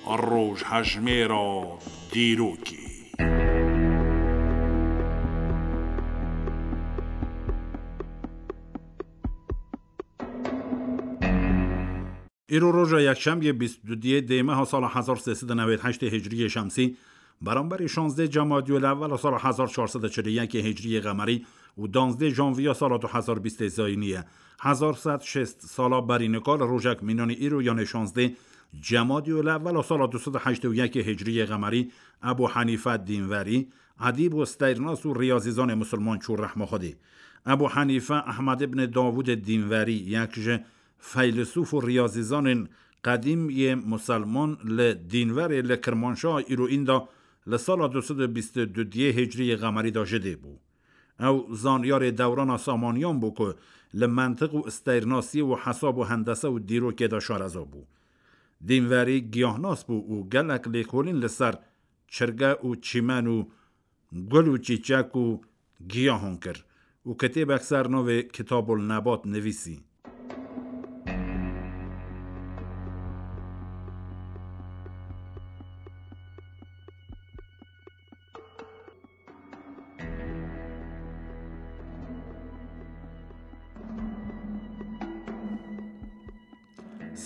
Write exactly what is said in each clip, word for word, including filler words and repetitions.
Rojhejmêra dîrokê. Îro roja yekşemiyê bîst û duyê dê meha sala hezar sê sed û newêd heştê hicriyê şemsî, beramberî şazdê Cemadiyul Ewwel sala hezar çar sed û çil û yekê hicriyê qemerî û danzdê janviya sala du hezar bîstê zayînî ye. Hezar sed şêst sala berî nika li rojek mînanî îro, yanê şazdê Cemadiyul Ewwel sala du sed û heştê û yekê hicriyê qemerî, Ebû Henîfe Dînverî, edîb û steyrnas û riyazîzanê misilman çû rehma Xwedê. Ebû Henîfe Ehmed ibn Dawûdê Dînverî, yek ji feylesûf û riyazîzanên qedîm yê misilman li Dînverê li Kirmanşaha îroyîn de li sala du sed û bîst û duyê hicriyê qemerî de ji dê bû. Ew zanyarê dewrana Samaniyan bû ku li mentiq û steyrnasiyê û hesab û hendese û dîrokê de şareza bû. Dînverî giyahnas bû û gelek lêkolîn li ser çirge û çîmen û gul û çîçek û giyahan kir û kitêbek ser navê Kitabul Nebat nivîsî.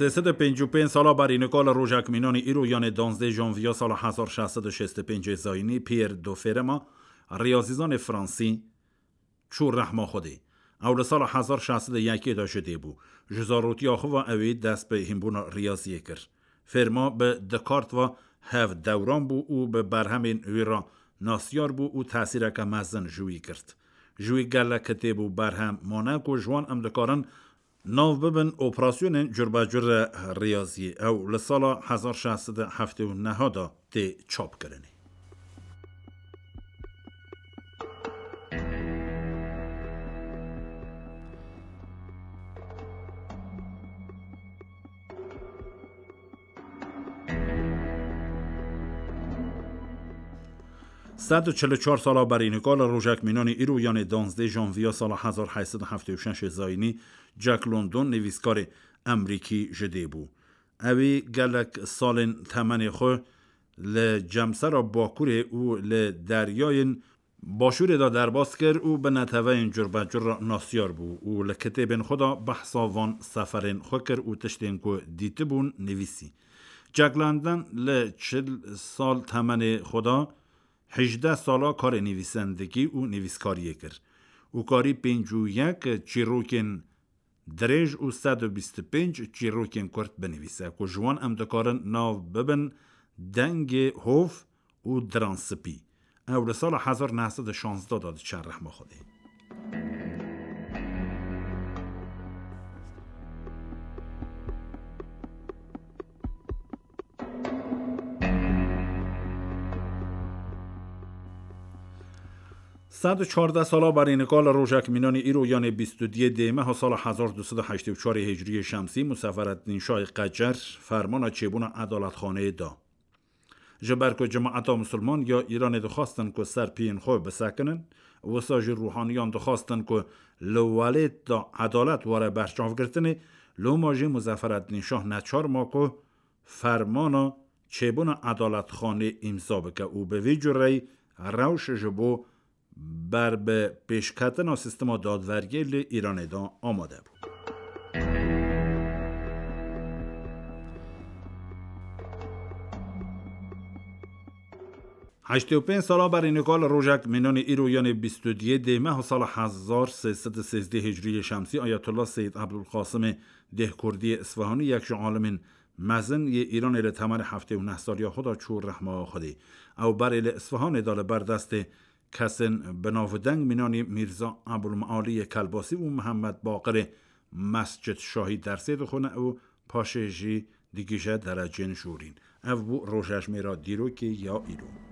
Sê sed û pêncî û pênc sala berî nika li rojek mînanî îro, yanê danzdê janviya sala hezar şeş sed û şêst û pêncê zayînî, Pierre de Fermat, riyazîzanê fransî, çû rehma Xwedê. Ew li sala hezar şeş sed û yekê de ji dê bû. Ji zarotiya xwe ve ew ê dest bi hînbûna riyaziyê kir. Fermat bi Descartes ve hev dewran bû û bi berhemên wî re nasyar bû û tesîreke mezin ji wî girt. Ji wî gelek kitêb û berhem mane ku ji wan em dikarin nav bibin operasyonên curbecur riyaziyê. Ew li sala hezar şeş sed û heftê û neh de tê çapkirinê. Sed û çil û çar sala berî nika li rojek mînanî îro, yanê danzdê janviya sala hezar heyt sed û heftê û şeş zayînî, Jack London, nivîskarê emrîkî, ji dê bû. Ewî gelek salên temenê xwe li cemsera Bakurê û li deryayên Başûrê de derbas kir û bi neteweyên curbecur re nasyar bû û li kitêbên xwe de behsa van seferên xwe kir û tiştên ku dîtibûn nivîsî. Jack London li çil sal temenê xwe de hejdeh sala karê nivîsendikî û nivîskariyê kir û karî pêncî û yek çîrokên dirêj û sed û bîst û pênc çîrokên kurt binivîse ku ji wan em dikarin nav bibin Dengê Hov û Diranspî. Ew li sala hezar neh sed û şazdeh de diçe rehma Xwedê. Sed û çardeh sala berî nika li rojek mînanî îro, yanê bîst û duyê dê meha sala hezar du sed û heştê û çarê hicriyê şemsî, Musefereddîn Şahê Qecer fermana çêbûna edaletxaneyê da. Ji ber ku cemaeta misilman ya Îranê dixwastin ku ser piyên xwe bisekinin, wisa jî ruhaniyan dixwastin ku li welêt de edalet were berçavgirtinê, loma jî Muzefereddîn Şah neçar ma ku fermana çêbûna edaletxanê îmza bike û bi vî cureyî rewş ji bo ber bi pêşketina sîstema dadveriyê li Îranê de amade bû. Heştê û pênc sala berî nika li rojek mînanî îro, yanê bîst û duyê dê meha sala hezar sê sed û sêzdeh hicriyê şemsî, Ayetullah Seyyid Ebdulqasimê Dêhkurdiyê Isfahanî, yek ji alimên mezin yê Îranê, li temenê heftê û neh saliya xwe de çû rehma Xwedê. Ew berê li Isfahanê de li ber destê kesên bi nav û deng mînanî Mîrza Ebulmealiyê Kelbasî û Mihemed Baqirê Mescid Şahî dersê dixwine û paşê jî digihîje derecên jorîn. Ev bû rojejmêra dîrokê ya îro.